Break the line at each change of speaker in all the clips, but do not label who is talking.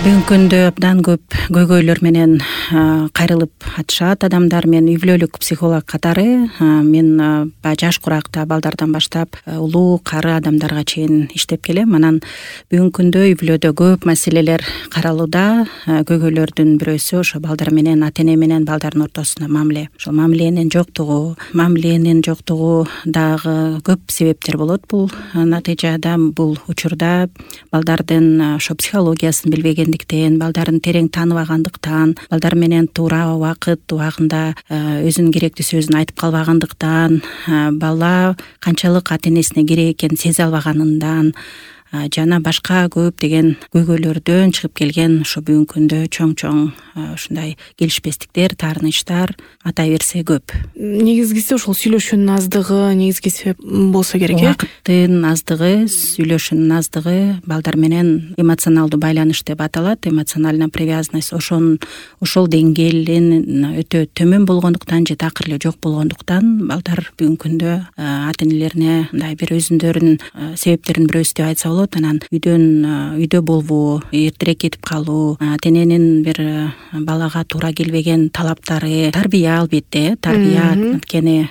Бүгүнкү күндө абдан көп көйгөйлөр менен кайрылып атышат адамдар. Мен үй бүлөлүк психолог катары мен баягы жаш куракта балдардан баштап улуу кары адамдарга чейин иштеп келем. Анан бүгүнкү күндө үй бүлөдө көп маселелер каралууда. Көйгөйлөрдүн бирөөсү ошо балдар менен, ата эне менен балдардын ортосунда мамиле. Ошол мамиленин жоктугу дагы көп себептер болот. Бул натыйжада бул учурда балдардын ошо психологиясын билбегендиктен, балдарын терең тааныбагандыктан, балдар менен туура убакыт убагында өзүнүн керектүү сөзүн айтып калбагандыктан, бала канчалык ата энесине керек экенин сезе албаганынан жана башка көп деген көйгөйлөрдөн чыгып келген ошо бүгүнкү күндө чоң ушундай келишпестиктер, таарынычтар ата берсе көп.
Негизгиси ошол сүйлөшүүнүн аздыгы негизги себеп болсо керек.
Убакыттын аздыгы, сүйлөшүүнүн аздыгы, балдар менен эмоционалдуу байланыш деп аталат, эмоциональная привязанность. Ошол деңгээлин өтө төмөн болгондуктан же такыр эле жок болгондуктан балдар бүгүнкү күндө ата энелерине мындай бир өзүнүн себептеринин бирөөсү деп айтса болот. Анан үйдө болбоо, эртерээк кетип калуу, ата эненин бир балага туура келбеген талаптары, тарбия албетте, тарбия анткени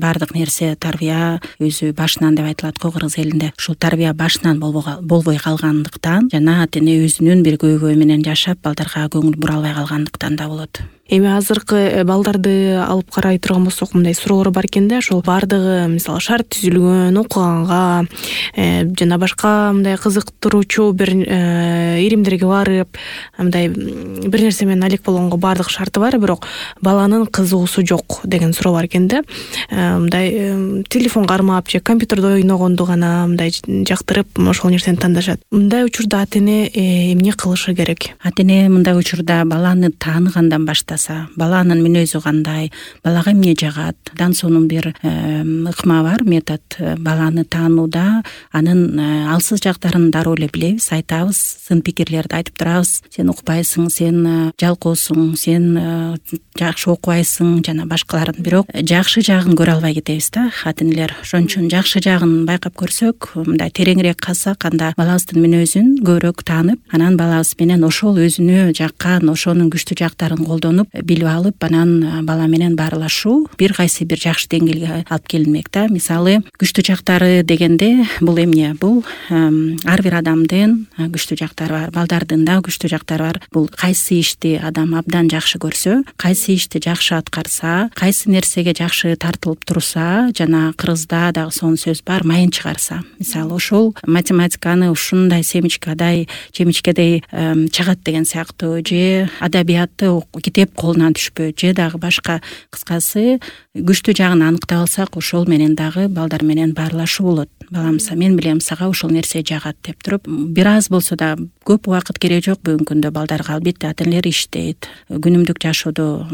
баардык нерсе тарбия өзү башынан деп айтылат го кыргыз элинде. Ушул тарбия башынан болбой калгандыктан жана ата эне өзүнүн бир көйгөйү менен жашап балдарга көңүл бура албай калгандыктан да болот.
Эми азыркы балдарды алып карай турган болсок, мындай суроолор бар экен да, ошол баардыгы мисалы шарт түзүлгөн окуганга жана башка мындай кызыктыруучу бир иримдерге барып, мындай бир нерсе менен алек болгонго баардык шарты бар, бирок баланын кызыгуусу жок деген суроо бар экен да. Мындай телефон кармап же компьютерде ойногонду гана мындай жактырып ошол нерсени тандашат. Мындай учурда ата эне эмне кылышы керек?
Ата эне мындай учурда баланы тааныгандан баштаса, баланын мүнөзү кандай, балага эмне жагат, Дансонун бир ыкма бар, метод. Баланы таанууда анын алсыз жактарын дароо эле билебиз, айтабыз, сын пикирлерди айтып турабыз. Сен укпайсың, сен жалкоосуң, сен жакшы окубайсың жана башкаларын. Бирок жакшы жагын көрө албай кетебиз да ата энелер. Ошон үчүн жакшы жагын байкап көрсөк, мындай тереңирээк калсак, анда балабыздын мүнөзүн көбүрөөк таанып, анан балабыз менен ошол өзүнө жаккан, ошонун күчтүү жактарын колдонуп, билип алып, анан бала менен баарлашуу бир кайсы бир жакшы деңгээлге алып келинмек да. Мисалы, күчтүү жактары дегенде бул эмне? Бул ар бир адамдын күчтүү жактары бар, балдардын да күчтүү жактары бар. Бул кайсы ишти адам абдан жакшы көрсө, кайсы ишти жакшы аткарса, кайсы нерсеге жакшы тартылып турса, жана кыргызда дагы сонун сөз бар, майын чыгарса. Мисалы, ошол математиканы ушундай семечкадай, жемичкедей чагат деген сыяктуу, же адабиятты китеп колунан түшпөйт, же дагы башка. Кыскасы, күчтүү жагын аныктап алсак, ошол менен дагы балдар менен баарлашуу болот. Балам, мен билем сага ушул нерсе жагат деп туруп, бир аз болсо да көп убакыт кереги жок бүгүнкү күндө балдарга. Албетте ата энелер иштейт, күнүмдүк жашоодо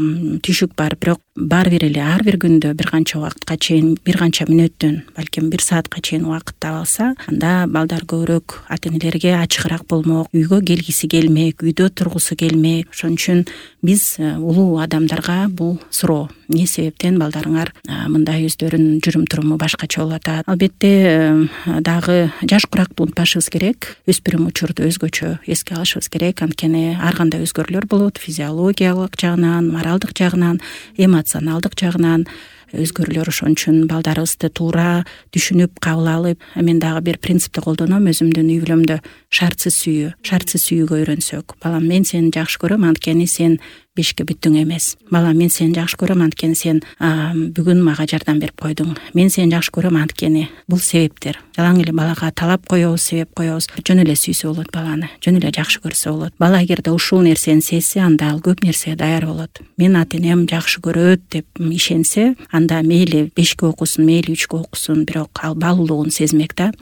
түшүк бар, бирок ар бир күндө бир канча убакытка чейин, бир канча мүнөттөн, балким 1 саатка чейин убакыт таба алса, анда балдар көбүрөөк ата энелерге ачыгыраак болмок, үйгө келгиси келмек, үйдө тургусу келмек. Ошон үчүн биз улуу адамдарга бул суроо: эмне себептен балдарыңар мындай өздөрүнүн жүрүм-туруму башкача болуп атат? Албетте дагы жаш куракты унутпашыбыз керек. Өспүрүм учурду өзгөчө эске алышыбыз керек. Анткени ар кандай өзгөрүүлөр болот, физиологиялык жагынан, моралдык жагынан, эмоционалдык жагынан өзгөрүүлөр. Ошон үчүн балдарыбызды туура түшүнүп, кабыл алып, мен дагы бир принципти колдоном өзүмдүн үй бүлөмдө: шартсыз сүйүүгө үйрөнсөк. Балам, мен сени жакшы көрөм, анткени сен бешке бүттүң эмес. Балам, мен сени жакшы көрөм, анткени сен бүгүн мага жардам берип койдуң. Мен сени жакшы көрөм, анткени бул себептер. Жалаң эле балага талап коебуз, себеп коебуз. Жөн эле сүйсө болот баланы, жөн эле жакшы көрсө болот. Бала эгерде ушул нерсени сезсе, анда ал көп нерсеге даяр болот. Мен ата энем жакшы көрөт деп ишенсе, анда мейли 5-кө окусун, мейли 3-кө окусун, бирок ал баалуулугун сезмек да.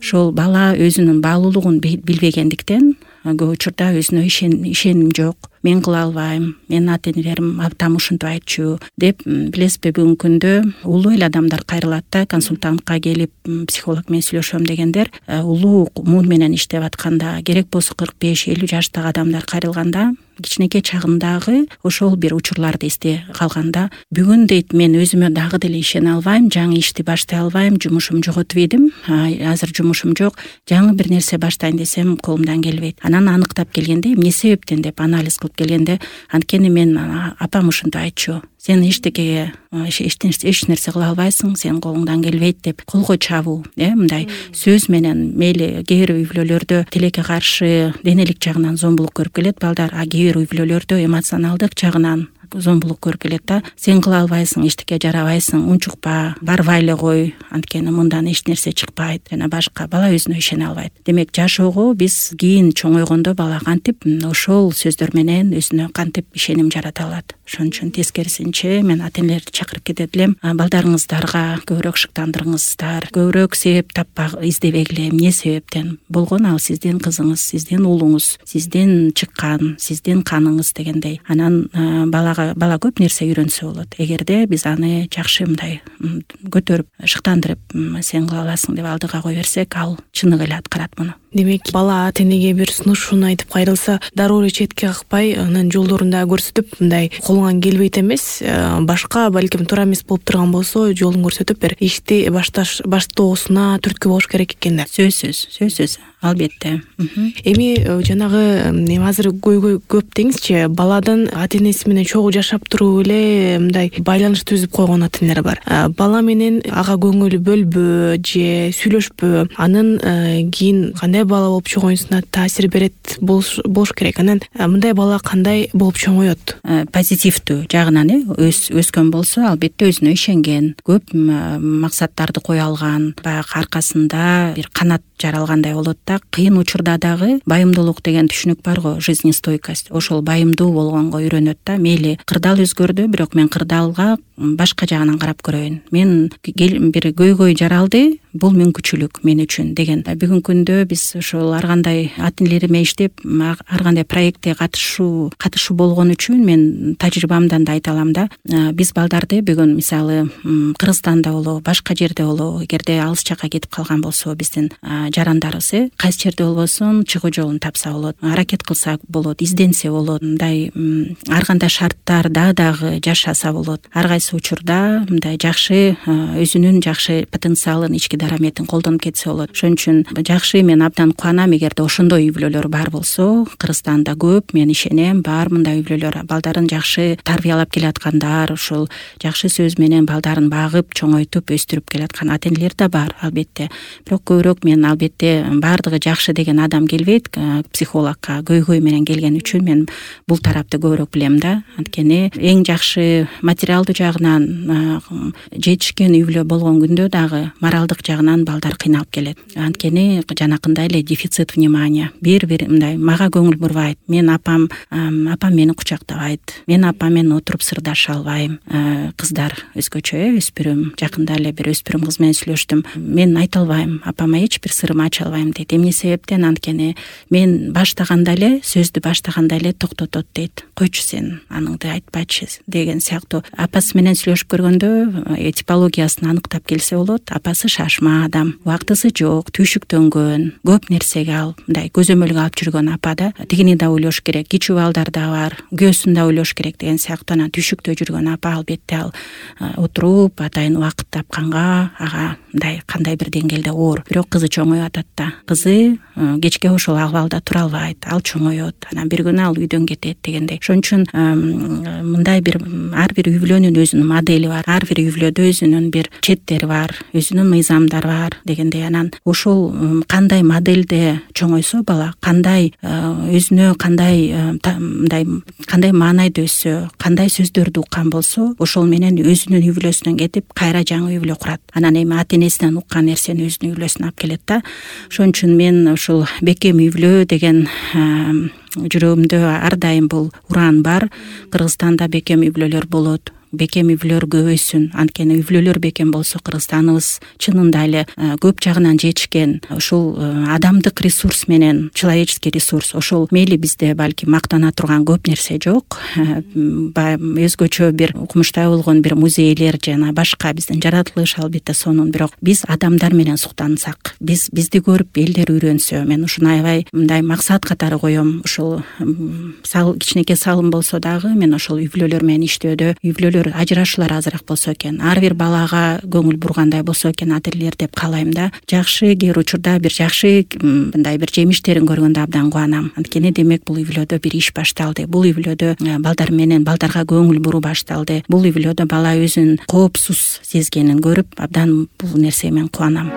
Ошол бала өзүнүн баалуулугун билбегендиктен көп учурда өзүнө ишеним жок, мен кыла албайм, менин ата энелерим абдан ушинтип айтчу деп, билесизби, бүгүнкү күндө улуу эле адамдар кайрылат да, консультантка келип психолог менен сүйлөшөм дегендер улуу муун менен иштеп атканда, керек болсо 45-50 жаштагы адамдар кайрылганда, кичинекей чагымдагы ошол бир учурларды эстей калганда, бүгүн дейт мен өзүмө дагы деле ишене албайм, жаңы ишти баштай албайм, жумушум жоготуп идим, азыр жумушум жок, жаңы бир нерсе баштайын десем колумдан келбейт. Анан аныктап келгенде, эмне себептен деп анализ кылып келгенде, анткени мен апам ушинтип айтчу, сен эчтекеге эч нерсе кыла албайсың, сенин колуңдан келбейт деп колго чабуу, мындай сөз менен, мейли кээ бир үй бүлөлөрдө тилекке каршы денелик жагынан зомбулук көрүп келет балдар, а кээ бир үй бүлөлөрдө эмоционалдык жагынан зомбулук көрүп келет да. Сен кыла албайсың, эчтеке жарабайсың, унчукпа, барбай эле кой, анткени мындан эч нерсе чыкпайт жана башка. Бала өзүнө ишене албайт. Демек жашоого биз кийин чоңойгондо бала кантип ошол сөздөр менен өзүнө кантип ишеним жарата алат. Ошон үчүн тескерисинче мен ата энелерди чакырып кетет элем, балдарыңыздарга көбүрөөк шыктандырыңыздар, көбүрөөк себеп издебегиле, эмне себептен болгон ал сиздин кызыңыз, сиздин уулуңуз, сиздин чыккан, сиздин каныңыз дегендей. Анан бала көп нерсе үйрөнсө болот. Эгерде биз аны жакшы мындай көтөрүп, шыктандырып, сен кыла аласың деп алдыга кое берсек, ал чыныгы эле аткарат муну.
Демек, бала ата энеге бир сунушун айтып кайрылса, дароо эле четке какпай, анын жолдорун да көрсөтүп, мындай колуңан келбейт эмес, башка балким туура эмес болуп турган болсо, жолун көрсөтүп бир ишти баштоосуна түрткү болуш керек экен да.
Сөзсүз, албетте.
Эми жанагы азыр көп деңизчи, баладан ата энеси менен чогуу жашап туруп эле мындай байланыш түзүп койгон ата энелер бар. Бала менен ага көңүл бөлбө же сүйлөшпө, анын кийин кандай бала болуп чоңоюусуна таасир берет болуш керек. Анан мындай бала кандай болуп чоңоет?
Позитивдүү жагынан өскөн болсо, албетте өзүнө ишенген, көп максаттарды кое алган, баягы аркасында бир канат жаралгандай болот да. Кыйын учурда дагы байымдуулук деген түшүнүк бар го, жизнестойкость. Ошол байымдуу болгонго үйрөнөт да. Мейли кырдаал өзгөрдү, бирок мен кырдаалга башка жагынан карап көрөйүн. Мен бир көйгөй жаралды, бул мүмкүнчүлүк мен үчүн деген. Бүгүнкү күндө биз ошол ар кандай ата энелериме иштеп, ар кандай проектте катышуу болгон үчүн мен тажрыйбамдан да айта алам да. Биз балдарды бүгүн мисалы Кыргызстанда болобу, башка жерде болобу, эгерде алыс жакка кетип калган болсо биздин жарандарыбыз, кайсы жерде болбосун чыгуу жолун тапса болот, аракет кылса болот, изденсе болот, мындай ар кандай шарттарда дагы жашаса болот. Ар кайсы учурда мындай жакшы өзүнүн жакшы потенциалын, ички дараметин колдонуп кетсе болот. Ошон үчүн жакшы, мен абдан кубанам эгерде ошондой үй бүлөлөр бар болсо. Кыргызстанда көп, мен ишенем, бар мындай үй бүлөлөр, балдарын жакшы тарбиялап келаткандар, ошол жакшы сөз менен балдарын багып, чоңойтуп, өстүрүп келаткан ата энелер да бар, албетте. Бирок көбүрөөк мен албетте баардыгы жакшы деген адам келбейт, психологко көйгөй менен келген үчүн мен бул тарапты көбүрөөк билем да. Анткени эң жакшы материалдуу жагынан жетишкен үй бүлө болгон күндө дагы моралдык жагынан балдар кыйналып келет. Анткени жанакындай эле дефицит внимания, бир мындай мага көңүл бурбайт, мен апам мени кучактабайт, мен апам менен отуруп сырдаша албайм. Кыздар өзгөчө, өспүрүм, жакында эле бир өспүрүм кыз менен сүйлөштүм. Мен айта албайм, апама эч бир сырымды ача албайм дейт. Эмне себептен? Анткени мен баштаганда эле, сөздү баштаганда эле токтотот дейт. Койчу сен аныңды айтпачы деген сыяктуу. Апасы менен сүйлөшүп көргөндө типологиясын аныктап келсе болот. Апасы шашма адам, убактысы жок, түйшүктөнгөн, көп нерсеге ал мындай көзөмөлгө алып жүргөн апа да. Тигини да ойлош керек, кичүү балдар да бар, күйөөсүн да ойлош керек деген сыяктуу. Анан түйшүктө жүргөн апа албетте ал отуруп атайын убакыт тапканга ага мындай кандай бир деңгээлде оор. Бирок кызы чоңоюп атат да. Кызы кечке ошол акыбалда тура албайт, ал чоңоет, анан бир күнү ал үйдөн кетет дегендей. Ошон үчүн мындай бир ар бир үй бүлөнүн өзүнүн модели бар, ар бир үй бүлөдө өзүнүн бир четтери бар, өзүнүн мыйзамдары бар дегендей. Анан ошол кандай моделде чоңойсо бала, кандай өзүнө кандай маанайда өссө, кандай сөздөрдү уккан болсо, ошол менен өзүнүн үй бүлөсүнөн кетип кайра жаңы үй бүлө курат. Анан эми ата энесинен уккан нерсени өзүнүн үй бүлөсүнө алып келет да. Ошон үчүн мен ушул бекем үй бүлө деген жүрөгүмдө ар дайым бул уран бар. Кыргызстанда бекем үй бүлөлөр болот. бекем үй-бүлөлөр көбөйсүн. Анткени үй-бүлөлөр бекем болсо Кыргызстаныбыз чынында эле көп жагынан жетишкен. Ушул адамдык ресурс менен, человеческий ресурс, ошол мейли бизде балки мактана турган көп нерсе жок. Өзгөчө бир укмуштай болгон бир музейлер жана башка биздин жаратылыш албетте сонун, бирок биз адамдар менен суктансак, бизди көрүп элдер үйрөнсө, мен ушуну аябай мындай максат катары коем. Ушул кичинекей салым болсо дагы мен ошол үй-бүлөлөр менен иштөөдө, үй-бүлөлөр ажырашуулар азыраак болсо экен, ар бир балага көңүл бургандай болсо экен адирлер деп каалайм да. Жакшы кээ бир учурда бир жакшы мындай бир жемиштерин көргөндө абдан кубанам. Анткени демек бул үй-бүлөдө бир иш башталды. Бул үй-бүлөдө балдарга көңүл буруу башталды. Бул үй-бүлөдө бала өзүн коопсуз сезгенин көрүп абдан бул нерсе мен кубанам.